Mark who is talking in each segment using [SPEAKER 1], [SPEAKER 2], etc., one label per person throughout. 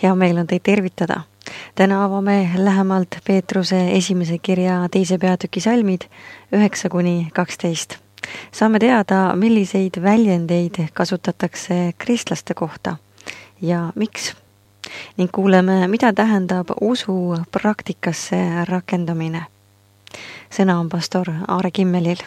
[SPEAKER 1] Hea meel on teid tervitada. Täna avame lähemalt Peetruse esimese kirja 2. peatüki salmid 9-12. Saame teada, milliseid väljendeid kasutatakse kristlaste kohta ja miks. Ning kuuleme, mida tähendab usu praktikasse rakendamine. Sõna on pastor Aare Kimmelil.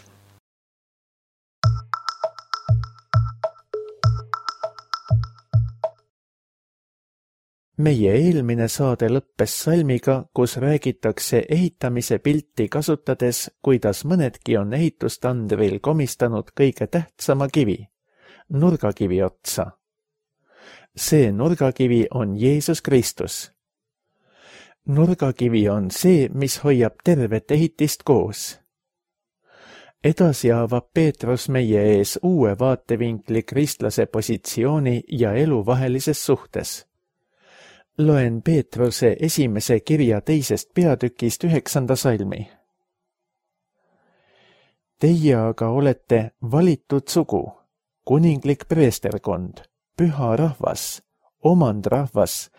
[SPEAKER 2] Meie eelmine saade lõppes salmiga, kus räägitakse ehitamise pilti kasutades, kuidas mõnedki on ehitustandril komistanud kõige tähtsama kivi, nurgakivi otsa. See nurgakivi on Jeesus Kristus. Nurgakivi on see, mis hoiab tervet ehitist koos. Edasi avab Peetrus meie ees uue vaatevinkli kristlase positsiooni ja elu vahelises suhtes. Loen Peetruse esimese kirja 2. peatükist 9. salmi. Teie aga olete valitud sugu, kuninglik preesterkond, püha rahvas, omandrahvas,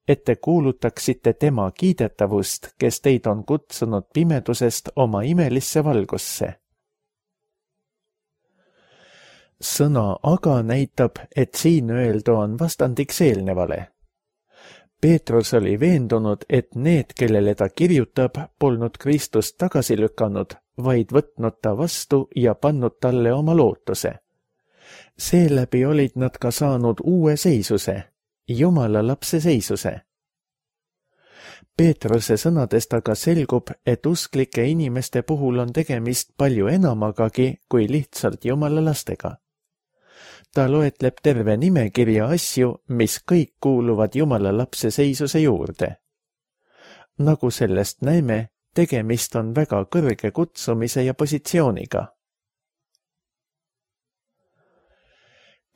[SPEAKER 2] et te kuulutaksite tema kiidetavust, kes teid on kutsunud pimedusest oma imelisse valgusse. Sõna aga näitab, et siin öeldu on vastandiks eelnevale. Peetrus oli veendunud, et need, kellele ta kirjutab, polnud Kristust tagasi lükanud, vaid võtnud ta vastu ja pannud talle oma lootuse. Seeläbi olid nad ka saanud uue seisuse, Jumala lapse seisuse. Peetruse sõnadest aga selgub, et usklike inimeste puhul on tegemist palju enamagagi kui lihtsalt Jumala lastega. Ta loetleb terve nimekirja asju, mis kõik kuuluvad Jumala lapse seisuse juurde. Nagu sellest näeme, tegemist on väga kõrge kutsumise ja positsiooniga.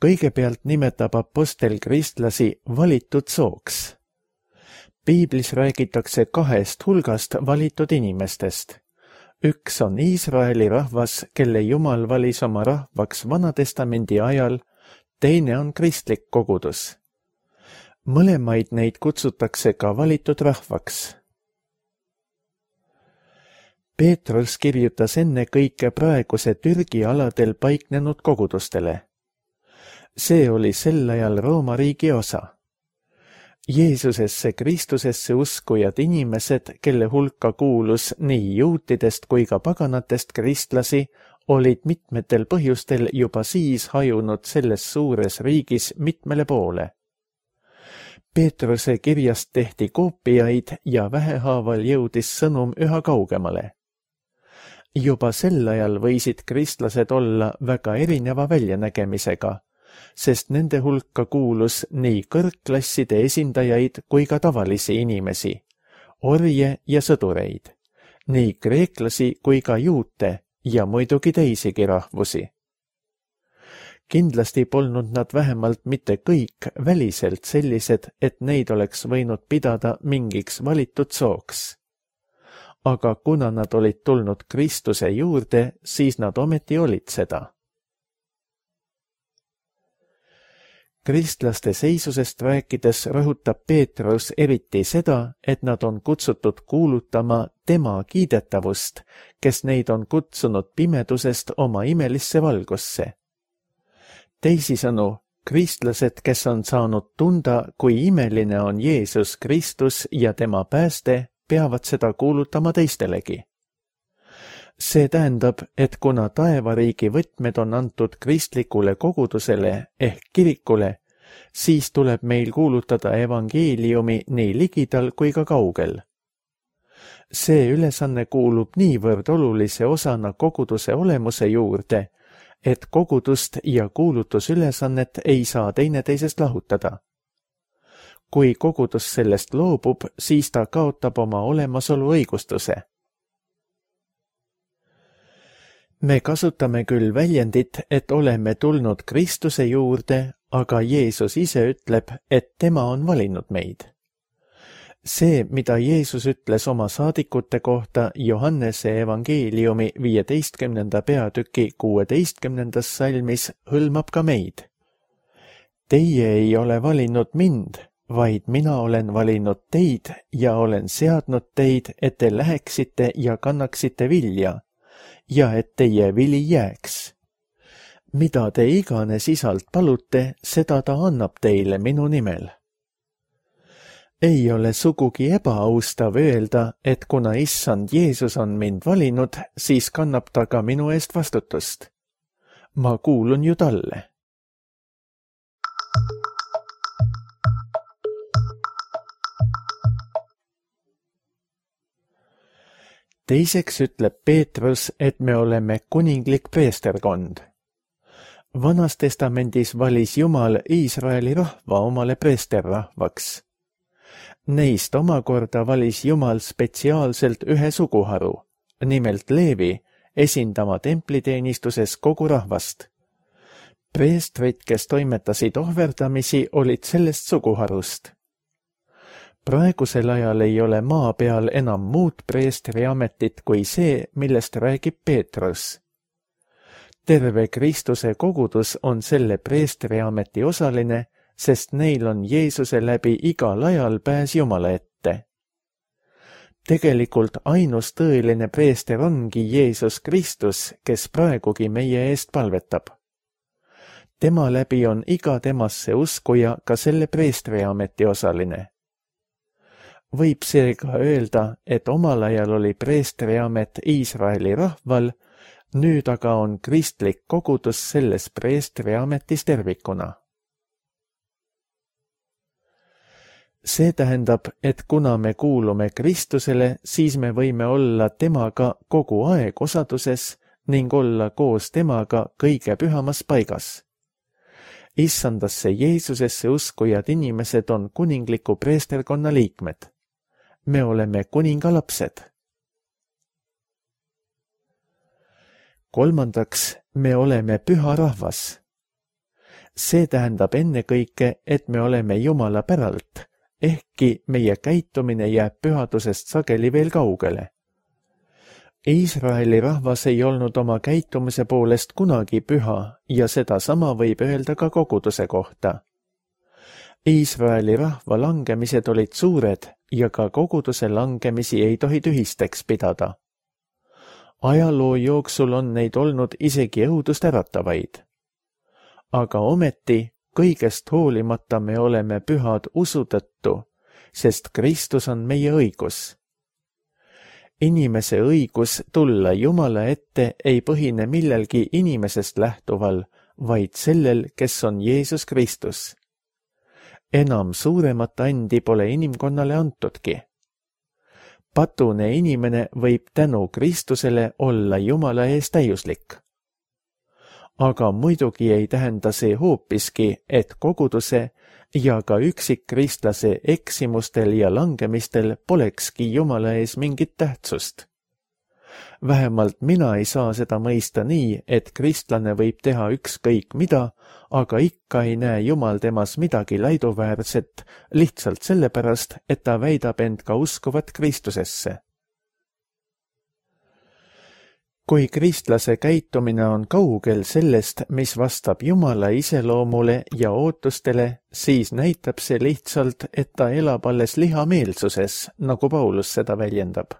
[SPEAKER 2] Kõigepealt nimetab apostel kristlasi valitud sooks. Piiblis räägitakse 2 hulgast valitud inimestest. Üks on Iisraeli rahvas, kelle Jumal valis oma rahvaks Vanatestamendi ajal, teine on kristlik kogudus. Mõlemaid neid kutsutakse ka valitud rahvaks. Peetrus kirjutas enne kõike praeguse Türgi aladel paiknenud kogudustele. See oli sel ajal Rooma riigi osa. Jeesusesse Kristusesse uskujad inimesed, kelle hulka kuulus nii juutidest kui ka paganatest kristlasi, olid mitmetel põhjustel juba siis hajunud selles suures riigis mitmele poole. Peetruse kirjast tehti koopiaid ja vähehaaval jõudis sõnum üha kaugemale. Juba sel ajal võisid kristlased olla väga erineva väljanägemisega, sest nende hulka kuulus nii kõrgklasside esindajaid kui ka tavalisi inimesi, orje ja sõdureid, nii kreeklasi kui ka juute ja muidugi teisigi rahvusi. Kindlasti polnud nad vähemalt mitte kõik väliselt sellised, et neid oleks võinud pidada mingiks valitud sooks. Aga kuna nad olid tulnud Kristuse juurde, siis nad ometi olid seda. Kristlaste seisusest rääkides rõhutab Peetrus eriti seda, et nad on kutsutud kuulutama tema kiidetavust, kes neid on kutsunud pimedusest oma imelisse valgusse. Teisisõnu, kristlased, kes on saanud tunda, kui imeline on Jeesus Kristus ja tema pääste, peavad seda kuulutama teistelegi. See tähendab, et kuna taevariigi võtmed on antud kristlikule kogudusele ehk kirikule, siis tuleb meil kuulutada evangeeliumi nii ligidal kui ka kaugel. See ülesanne kuulub niivõrd olulise osana koguduse olemuse juurde, et kogudust ja kuulutusülesannet ei saa teineteisest lahutada. Kui kogudus sellest loobub, siis ta kaotab oma olemasolu õigustuse. Me kasutame küll väljendit, et oleme tulnud Kristuse juurde, aga Jeesus ise ütleb, et tema on valinud meid. See, mida Jeesus ütles oma saadikute kohta Johannese evangeeliumi 15. peatüki 16. salmis, hõlmab ka meid. Teie ei ole valinud mind, vaid mina olen valinud teid ja olen seadnud teid, et te läheksite ja kannaksite vilja ja et teie vili jääks. Mida te iganes Isalt palute, seda ta annab teile minu nimel. Ei ole sugugi ebaaustav öelda, et kuna Issand Jeesus on mind valinud, siis kannab ta ka minu eest vastutust. Ma kuulun ju talle. Teiseks ütleb Peetrus, et me oleme kuninglik preesterkond. Vanas testamendis valis Jumal Iisraeli rahva omale preesterrahvaks. Neist omakorda valis Jumal spetsiaalselt ühe suguharu, nimelt Leevi, esindama templiteenistuses kogu rahvast. Preestrid, kes toimetasid ohverdamisi, olid sellest suguharust. Praegusel ajal ei ole maa peal enam muud preestri ametit kui see, millest räägib Peetrus. Terve Kristuse kogudus on selle preestri ameti osaline, sest neil on Jeesuse läbi igal ajal pääs Jumala ette. Tegelikult ainus tõeline preester ongi Jeesus Kristus, kes praegugi meie eest palvetab. Tema läbi on iga temasse uskuja ka selle preestri ameti osaline. Võib seega öelda, et omal ajal oli preestri amet Iisraeli rahval, nüüd aga on kristlik kogudus selles preestri ametis tervikuna. See tähendab, et kuna me kuulume Kristusele, siis me võime olla temaga kogu aeg osaduses ning olla koos temaga kõige pühamas paigas. Issandasse Jeesusesse uskujad inimesed on kuningliku preesterkonna liikmed. Me oleme kuninga lapsed. Kolmandaks, me oleme püha rahvas. See tähendab ennekõike, et me oleme Jumala päralt, ehkki meie käitumine jääb pühadusest sageli veel kaugele. Iisraeli rahvas ei olnud oma käitumise poolest kunagi püha ja seda sama võib öelda ka koguduse kohta. Iisraeli rahva langemised olid suured ja ka koguduse langemisi ei tohi tühisteks pidada. Ajaloo jooksul on neid olnud isegi õudust äratavaid. Aga ometi kõigest hoolimata me oleme pühad usu tõttu, sest Kristus on meie õigus. Inimese õigus tulla Jumala ette ei põhine millelgi inimesest lähtuval, vaid sellel, kes on Jeesus Kristus. Enam suuremat andi pole inimkonnale antudki. Patune inimene võib tänu Kristusele olla Jumala ees täiuslik. Aga muidugi ei tähenda see hoopiski, et koguduse ja ka üksikkristlase eksimustel ja langemistel polekski Jumala ees mingit tähtsust. Vähemalt mina ei saa seda mõista nii, et kristlane võib teha ükskõik mida, aga ikka ei näe Jumal temas midagi laiduväärset lihtsalt sellepärast, et ta väidab end ka uskuvat Kristusesse. Kui kristlase käitumine on kaugel sellest, mis vastab Jumala iseloomule ja ootustele, siis näitab see lihtsalt, et ta elab alles lihameelsuses, nagu Paulus seda väljendab.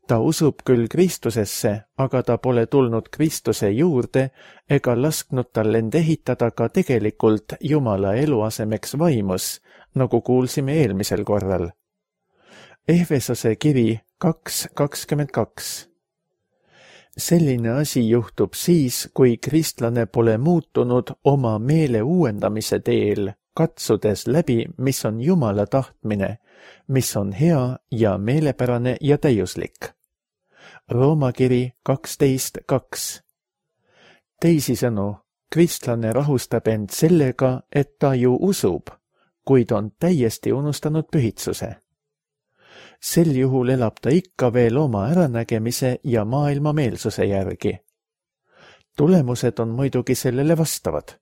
[SPEAKER 2] Ta usub küll Kristusesse, aga ta pole tulnud Kristuse juurde ega lasknud tal end ehitada ka tegelikult Jumala eluasemeks vaimus, nagu kuulsime eelmisel korral. Efesose kiri 2:22. Selline asi juhtub siis, kui kristlane pole muutunud oma meele uuendamise teel, katsudes läbi, mis on Jumala tahtmine, mis on hea ja meelepärane ja täiuslik. Rooma kiri 12:2. Teisisõnu, kristlane rahustab end sellega, et ta ju usub, kuid on täiesti unustanud pühitsuse. Sel juhul elab ta ikka veel oma äranägemise ja maailma meelsuse järgi. Tulemused on muidugi sellele vastavad.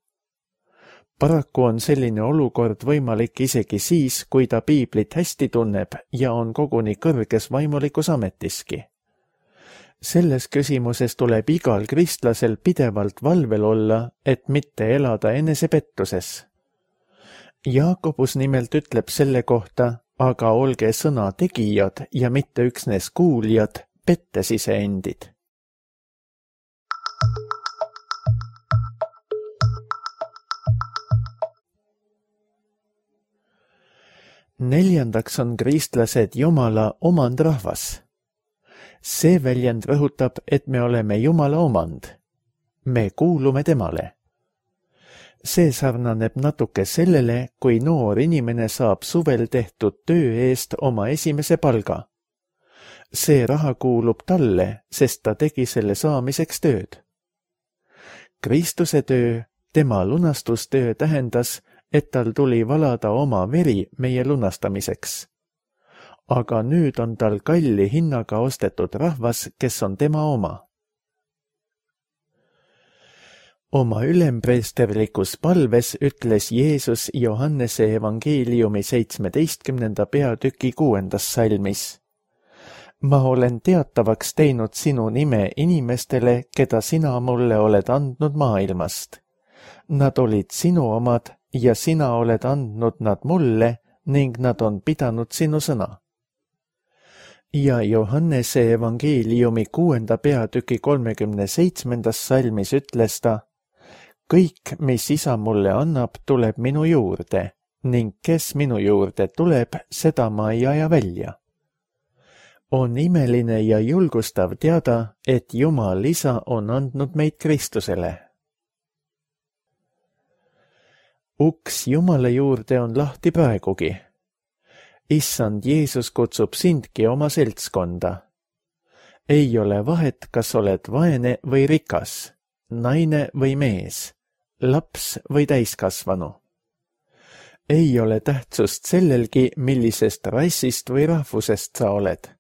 [SPEAKER 2] Paraku on selline olukord võimalik isegi siis, kui ta piiblit hästi tunneb ja on koguni kõrges vaimulikus ametiski. Selles küsimuses tuleb igal kristlasel pidevalt valvel olla, et mitte elada enesepettuses. Jaakobus nimelt ütleb selle kohta, aga olge sõna tegijad ja mitte üksnes kuuljad, pettes iseendid. Neljandaks on kristlased Jumala omandrahvas. See väljend rõhutab, et me oleme Jumala omand. Me kuulume temale. See sarnaneb natuke sellele, kui noor inimene saab suvel tehtud töö eest oma esimese palga. See raha kuulub talle, sest ta tegi selle saamiseks tööd. Kristuse töö, tema lunastustöö tähendas, et tal tuli valada oma veri meie lunastamiseks. Aga nüüd on tal kalli hinnaga ostetud rahvas, kes on tema oma. Oma ülempreesterlikus palves ütles Jeesus Johannese evangeeliumi 17. peatüki 6. salmis. Ma olen teatavaks teinud sinu nime inimestele, keda sina mulle oled andnud maailmast. Nad olid sinu omad ja sina oled andnud nad mulle ning nad on pidanud sinu sõna. Ja Johannese evangeeliumi 6. peatüki 37. salmis ütles ta, kõik, mis isa mulle annab, tuleb minu juurde ning kes minu juurde tuleb, seda ma ei aja välja. On imeline ja julgustav teada, et Jumal isa on andnud meid Kristusele. Uks Jumala juurde on lahti praegugi. Issand Jeesus kutsub sindki oma seltskonda. Ei ole vahet, kas oled vaene või rikas, naine või mees, laps või täiskasvanu. Ei ole tähtsust sellelgi, millisest rassist või rahvusest sa oled.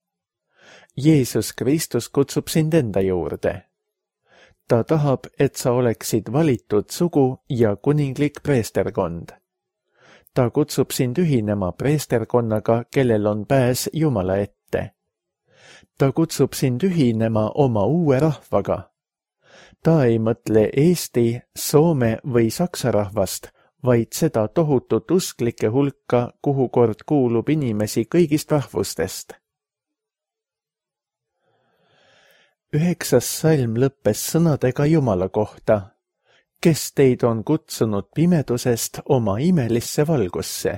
[SPEAKER 2] Jeesus Kristus kutsub sind enda juurde. Ta tahab, et sa oleksid valitud sugu ja kuninglik preesterkond. Ta kutsub sind ühinema preesterkonnaga, kellel on pääs Jumala ette. Ta kutsub sind ühinema oma uue rahvaga. Ta ei mõtle Eesti, Soome või Saksa rahvast, vaid seda tohutut usklike hulka, kuhu kord kuulub inimesi kõigist rahvustest. 9. salm lõppes sõnadega Jumala kohta, kes teid on kutsunud pimedusest oma imelisse valgusse.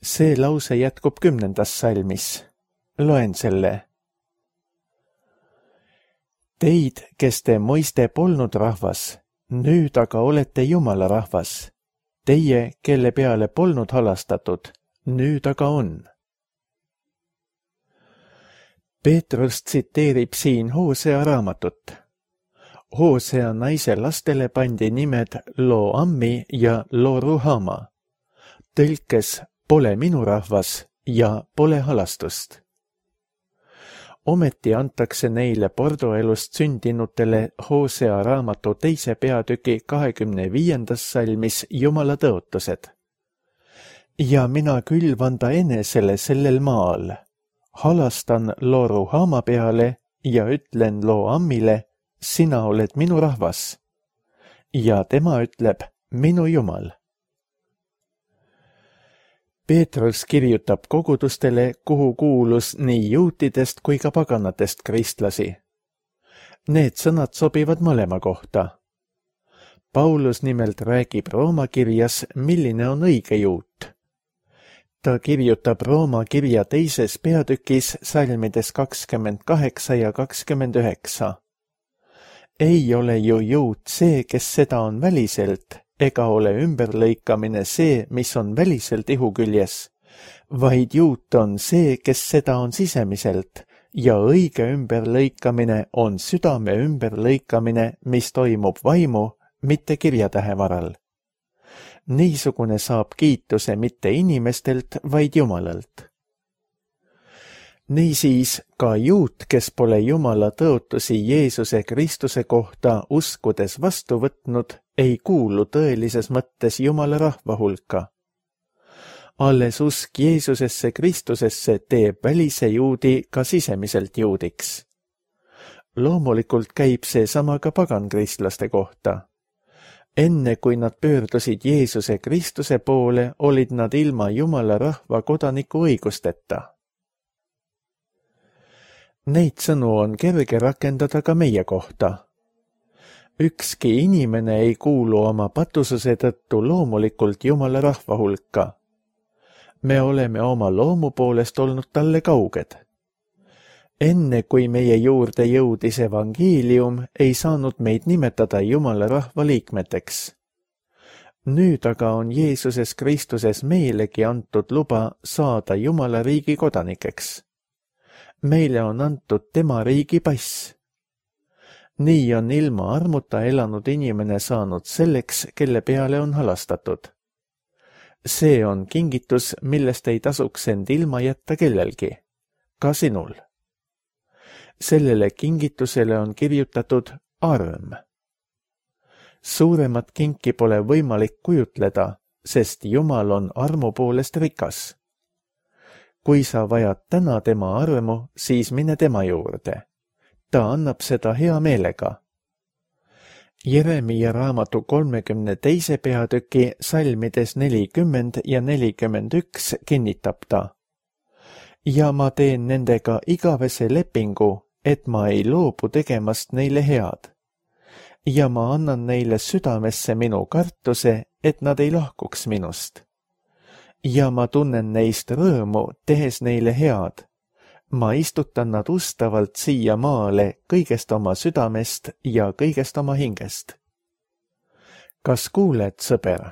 [SPEAKER 2] See lause jätkub 10. salmis. Loen selle. Teid, kes te moiste polnud rahvas, nüüd aga olete Jumala rahvas. Teie, kelle peale polnud halastatud, nüüd aga on. Peetrus tsiteerib siin Hosea raamatut. Hosea naise lastele pandi nimed Lo-Ammi ja Lo-Ruhama. Tõlkes pole minu rahvas ja pole halastust. Ometi antakse neile pordoelust sündinutele Hosea raamatu 2. peatüki 25. salmis Jumala tõotused. Ja mina külvan ta enesele sellel maal. Halastan Lo-Ruhama peale ja ütlen Lo-Ammile, sina oled minu rahvas. Ja tema ütleb, minu Jumal. Peetrus kirjutab kogudustele, kuhu kuulus nii juutidest kui ka paganatest kristlasi. Need sõnad sobivad mõlema kohta. Paulus nimelt räägib Rooma kirjas, milline on õige juut. Ta kirjutab Rooma kirja 2. peatükis salmides 28 ja 29. Ei ole ju juut see, kes seda on väliselt, ega ole ümberlõikamine see, mis on väliselt ihuküljes, vaid juut on see, kes seda on sisemiselt, ja õige ümberlõikamine on südame ümberlõikamine, mis toimub vaimu, mitte kirjatähe varal. Niisugune saab kiituse mitte inimestelt, vaid Jumalalt. Niisiis ka juut, kes pole Jumala tõotusi Jeesuse Kristuse kohta uskudes vastu võtnud, ei kuulu tõelises mõttes Jumala rahva hulka. Alles usk Jeesusesse Kristusesse teeb välise juudi ka sisemiselt juudiks. Loomulikult käib see sama ka pagankristlaste kohta. Enne kui nad pöördusid Jeesuse Kristuse poole, olid nad ilma Jumala rahva kodaniku õigusteta. Neid sõnu on kerge rakendada ka meie kohta. Ükski inimene ei kuulu oma patususe tõttu loomulikult Jumala rahva hulka. Me oleme oma loomu poolest olnud talle kauged. Enne kui meie juurde jõudis evangeelium, ei saanud meid nimetada Jumala rahva liikmeteks. Nüüd aga on Jeesuses Kristuses meilegi antud luba saada Jumala riigi kodanikeks. Meile on antud tema riigi pass. Nii on ilma armuta elanud inimene saanud selleks, kelle peale on halastatud. See on kingitus, millest ei tasuks end ilma jätta kellelgi, ka sinul. Sellele kingitusele on kirjutatud arm. Suuremat kinki pole võimalik kujutleda, sest Jumal on armu poolest rikas. Kui sa vajad täna tema armu, siis mine tema juurde. Ta annab seda hea meelega. Jeremiia raamatu 32. peatüki salmides 40 ja 41 kinnitab ta. Ja ma teen nendega igavese lepingu, et ma ei loobu tegemast neile head. Ja ma annan neile südamesse minu kartuse, et nad ei lahkuks minust. Ja ma tunnen neist rõõmu, tehes neile head. Ma istutan nad ustavalt siia maale kõigest oma südamest ja kõigest oma hingest. Kas kuuled, sõber?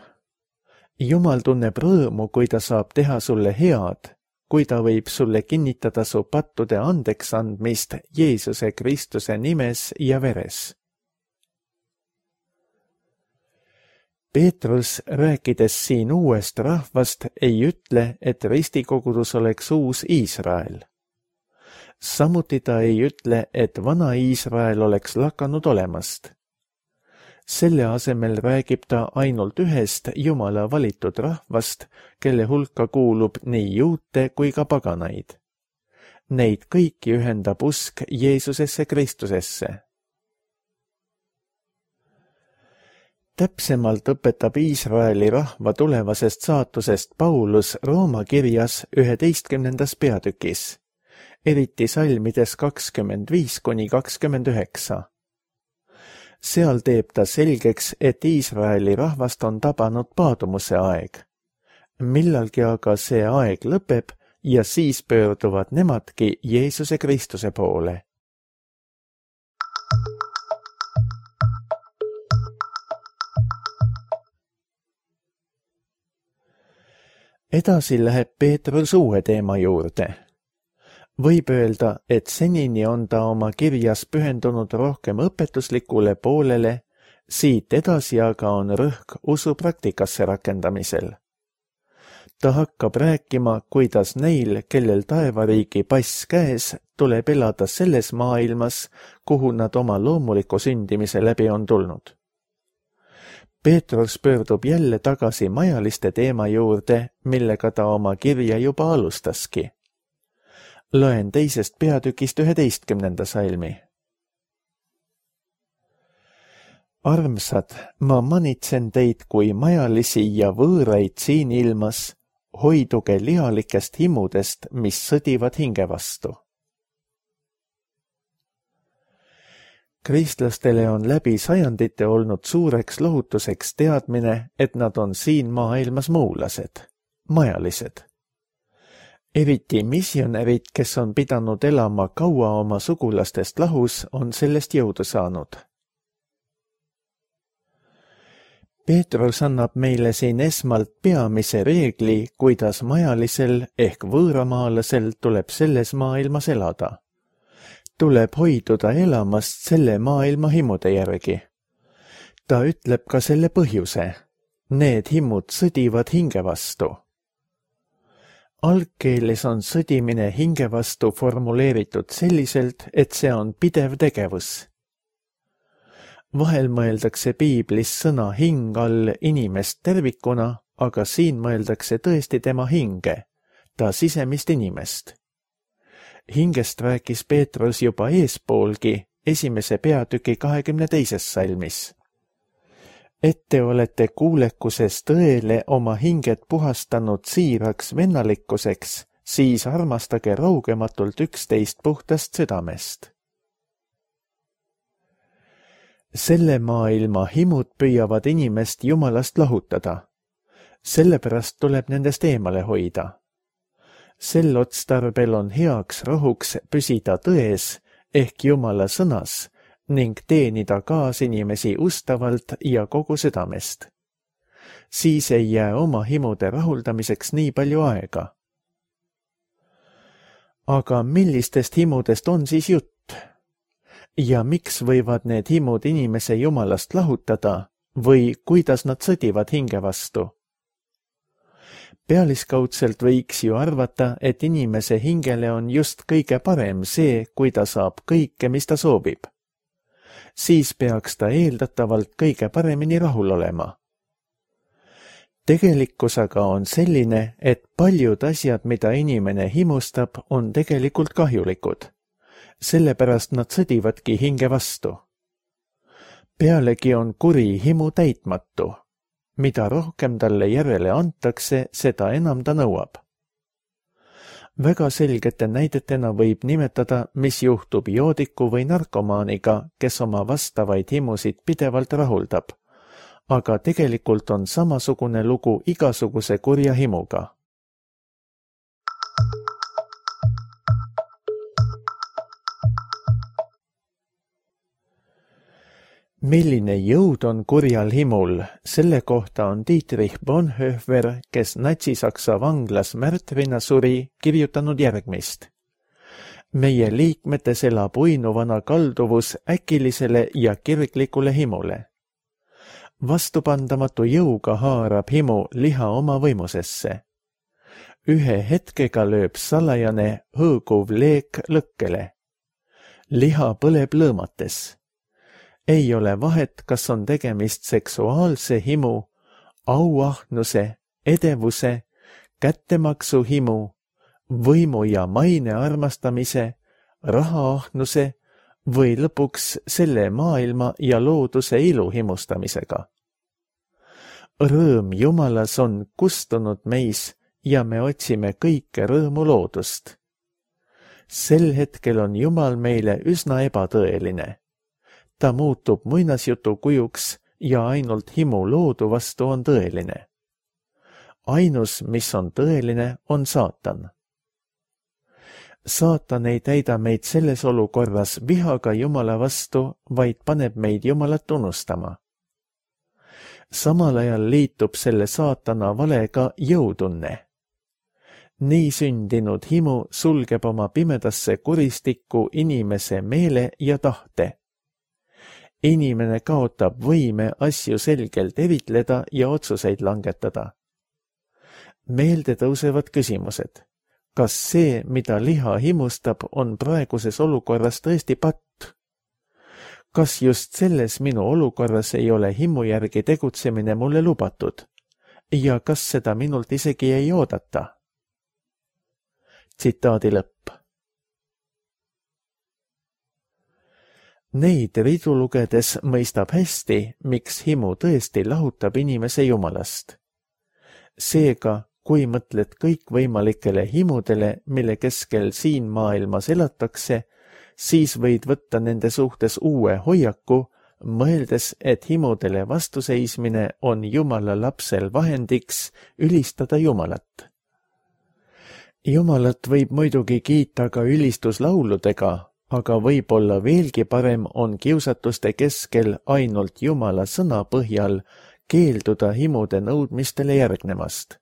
[SPEAKER 2] Jumal tunneb rõõmu, kui ta saab teha sulle head, kui ta võib sulle kinnitada su pattude andeks andmist Jeesuse Kristuse nimes ja veres. Peetrus, rääkides siin uuest rahvast, ei ütle, et ristikogudus oleks uus Iisrael. Samuti ta ei ütle, et vana Iisrael oleks lakanud olemast. Selle asemel räägib ta ainult ühest Jumala valitud rahvast, kelle hulka kuulub nii juute kui ka paganaid. Neid kõiki ühendab usk Jeesusesse Kristusesse. Täpsemalt õpetab Iisraeli rahva tulevasest saatusest Paulus Rooma kirjas 11. peatükis, eriti salmides 25–29. Seal teeb ta selgeks, et Iisraeli rahvast on tabanud paadumuse aeg. Millalgi aga see aeg lõpeb ja siis pöörduvad nemadki Jeesuse Kristuse poole. Edasi läheb Peetrus uue teema juurde. Võib öelda, et senini on ta oma kirjas pühendunud rohkem õpetuslikule poolele, siit edasi aga on rõhk usu praktikasse rakendamisel. Ta hakkab rääkima, kuidas neil, kellel taevariigi pass käes, tuleb elada selles maailmas, kuhu nad oma loomuliku sündimise läbi on tulnud. Peetrus pöördub jälle tagasi majaliste teema juurde, millega ta oma kirja juba alustaski. Loen 2. peatükist 11. salmi. Armsad, ma manitsen teid kui majalisi ja võõraid siin ilmas, hoiduge lihalikest himudest, mis sõdivad hinge vastu. Kristlastele on läbi sajandite olnud suureks lohutuseks teadmine, et nad on siin maailmas muulased, majalised. Eriti missionärid, kes on pidanud elama kaua oma sugulastest lahus, on sellest jõudu saanud. Peetrus annab meile siin esmalt peamise reegli, kuidas majalisel ehk võõramaalasel tuleb selles maailmas elada. Tuleb hoiduda elamast selle maailma himude järgi. Ta ütleb ka selle põhjuse. Need himud sõdivad hinge vastu. Algkeeles on sõdimine hinge vastu formuleeritud selliselt, et see on pidev tegevus. Vahel mõeldakse piiblis sõna hing all inimest tervikuna, aga siin mõeldakse tõesti tema hinge, ta sisemist inimest. Hingest rääkis Peetrus juba eespoolgi 1. peatüki 22. salmis. et te olete kuulekuses tõele oma hinged puhastanud siiraks vennalikkuseks, siis armastage raugematult üksteist puhtast südamest. Selle maailma himud püüavad inimest Jumalast lahutada. Sellepärast tuleb nendest eemale hoida. Sel otstarbel on heaks rahuks püsida tões ehk Jumala sõnas ning teenida kaasinimesi ustavalt ja kogu südamest. Siis ei jää oma himude rahuldamiseks nii palju aega. Aga millistest himudest on siis jutt? Ja miks võivad need himud inimese Jumalast lahutada või kuidas nad sõdivad hinge vastu? Pealiskaudselt võiks ju arvata, et inimese hingele on just kõige parem see, kui ta saab kõike, mis ta soovib. Siis peaks ta eeldatavalt kõige paremini rahul olema. Tegelikkus aga on selline, et paljud asjad, mida inimene himustab, on tegelikult kahjulikud. Sellepärast nad sõdivadki hinge vastu. Pealegi on kuri himu täitmatu. Mida rohkem talle järele antakse, seda enam ta nõuab. Väga selgete näidetena võib nimetada, mis juhtub joodiku või narkomaaniga, kes oma vastavaid himusid pidevalt rahuldab. Aga tegelikult on samasugune lugu igasuguse kurja himuga. Milline jõud on kurjal himul, selle kohta on Dietrich Bonhoeffer, kes Natsi-Saksa vanglas märtrina suri, kirjutanud järgmist. Meie liikmetes elab uinuvana kalduvus äkilisele ja kirglikule himule. Vastupandamatu jõuga haarab himu liha oma võimusesse. Ühe hetkega lööb salajane hõõguv leek lõkkele. Liha põleb lõõmates. Ei ole vahet, kas on tegemist seksuaalse himu, auahnuse, edevuse, kättemaksu himu, võimu ja maine armastamise, rahaahnuse või lõpuks selle maailma ja looduse ilu himustamisega. Rõõm Jumalas on kustunud meis ja me otsime kõike rõõmu loodust. Sel hetkel on Jumal meile üsna ebatõeline. Ta muutub muinasjutu kujuks ja ainult himu loodu vastu on tõeline. Ainus, mis on tõeline, on saatan. Saatan ei täida meid selles olukorras vihaga Jumala vastu, vaid paneb meid Jumalat tunnustama. Samal ajal liitub selle saatana valega jõutunne. Nii sündinud himu sulgeb oma pimedasse kuristikku inimese meele ja tahte. Inimene kaotab võime asju selgelt eritleda ja otsuseid langetada. Meelde tõusevad küsimused. Kas see, mida liha himustab, on praeguses olukorras tõesti patt? Kas just selles minu olukorras ei ole himu järgi tegutsemine mulle lubatud? Ja kas seda minult isegi ei oodata? Tsitaadi lõpp. Neid ridu lugedes mõistab hästi, miks himu tõesti lahutab inimese Jumalast. Seega, kui mõtled kõikvõimalikele himudele, mille keskel siin maailmas elatakse, siis võid võtta nende suhtes uue hoiaku, mõeldes, et himudele vastuseismine on Jumala lapsel vahendiks ülistada Jumalat. Jumalat võib muidugi kiita ka ülistuslauludega, aga võib-olla veelgi parem on kiusatuste keskel ainult Jumala sõna põhjal keelduda himude nõudmistele järgnemast.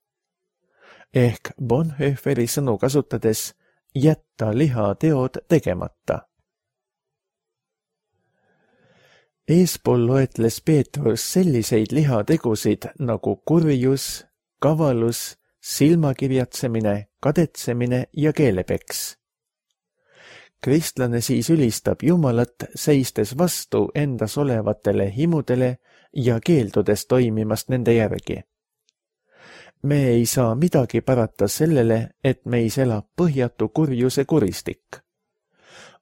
[SPEAKER 2] Ehk Bonhoefferi sõnu kasutades jätta lihateod tegemata. Eespool loetles Peetrus selliseid lihategusid nagu kurjus, kavalus, silmakirjatsemine, kadetsemine ja keelepeks. Kristlane siis ülistab Jumalat, seistes vastu endas olevatele himudele ja keeldudes toimimast nende järgi. Me ei saa midagi parata sellele, et meis elab põhjatu kurjuse kuristik.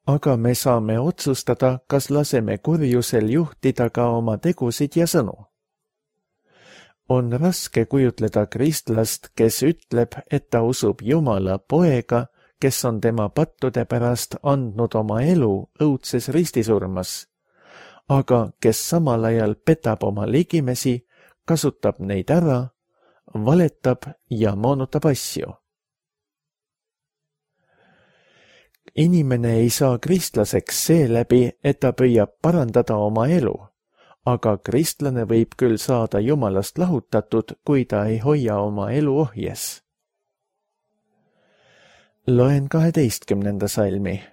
[SPEAKER 2] Aga me saame otsustada, kas laseme kurjusel juhtida ka oma tegusid ja sõnu. On raske kujutleda kristlast, kes ütleb, et ta usub Jumala poega, kes on tema pattude pärast andnud oma elu õudses ristisurmas, aga kes samal ajal petab oma ligimesi, kasutab neid ära, valetab ja moonutab asju. Inimene ei saa kristlaseks seeläbi, et ta püüab parandada oma elu, aga kristlane võib küll saada Jumalast lahutatud, kui ta ei hoia oma elu ohjes. Loen 12. salmi.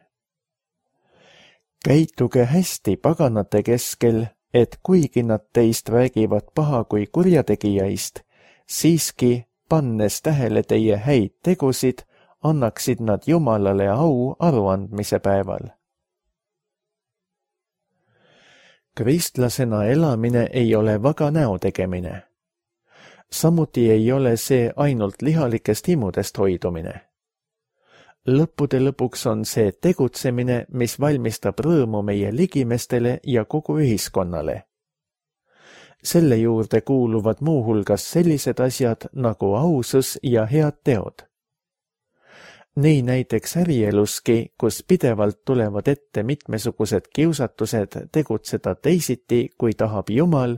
[SPEAKER 2] Käituge hästi paganate keskel, et kuigi nad teist räägivad paha kui kurjategijaist, siiski, pannes tähele teie häid tegusid, annaksid nad Jumalale au aruandmise päeval. Kristlasena elamine ei ole vaga näo tegemine. Samuti ei ole see ainult lihalikest himudest hoidumine. Lõppude lõpuks on see tegutsemine, mis valmistab rõõmu meie ligimestele ja kogu ühiskonnale. Selle juurde kuuluvad muuhulgas sellised asjad nagu ausus ja head teod. Nii näiteks ärieluski, kus pidevalt tulevad ette mitmesugused kiusatused tegutseda teisiti, kui tahab Jumal,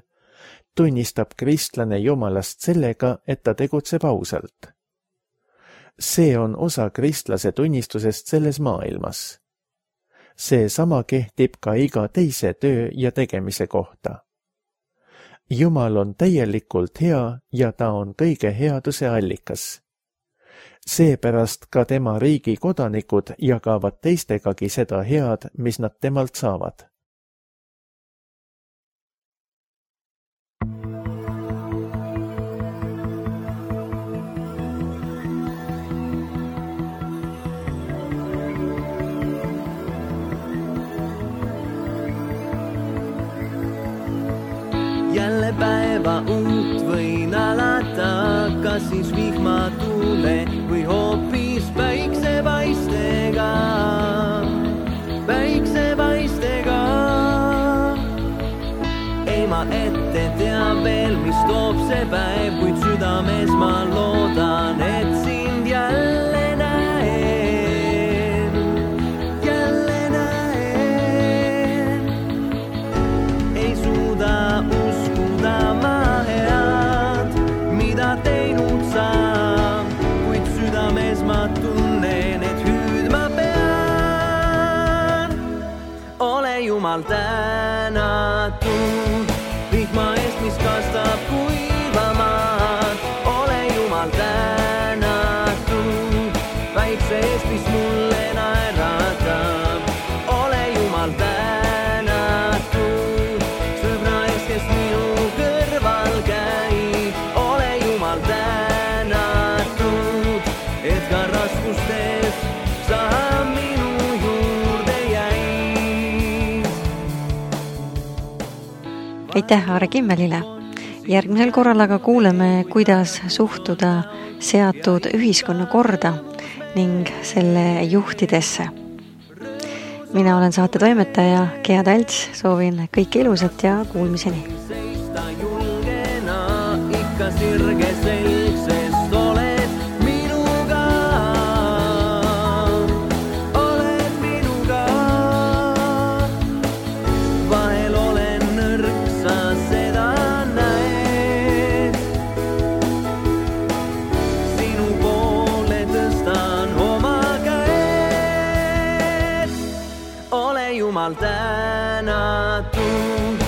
[SPEAKER 2] tunnistab kristlane Jumalast sellega, et ta tegutseb ausalt. See on osa kristlase tunnistusest selles maailmas. See sama kehtib ka iga teise töö ja tegemise kohta. Jumal on täielikult hea ja ta on kõige headuse allikas. Seepärast ka tema riigi kodanikud jagavad teistegagi seda head, mis nad temalt saavad.
[SPEAKER 3] Jälle päeva uut võin alata, kas siis vihmatule või hoopis päiksepaistega. Päiksepaistega. Ei ma ette tea veel, mis toob see päev, kuid südames ma loodan, et sind jälle näen. Jälle näen. Ei suuda teinud saab, kuid südames ma tunnen, et hüüdma pean. Ole Jumal tänatud, vihma eest, mis kastab kuivamaad. Ole Jumal tänatud, väikse eest, mis mulle naeratab. Ole Jumal tänatud, sõbra eest, kes minu kõrval käib. Tänatud, et ka raskustes sa minu juurde jäid.
[SPEAKER 1] Aitäh Aare Kimmelile. Järgmisel korral aga kuuleme, kuidas suhtuda seatud ühiskonnakorda ning selle juhtidesse. Mina olen saate toimetaja Gea Talts, soovin kõike ilusat ja kuulmiseni.
[SPEAKER 3] Ikka sirge selg, sest oled minuga. Oled minuga. Vahel olen nõrk, sa seda näed. Sinu poole tõstan oma käed. Ole Jumal tänatud.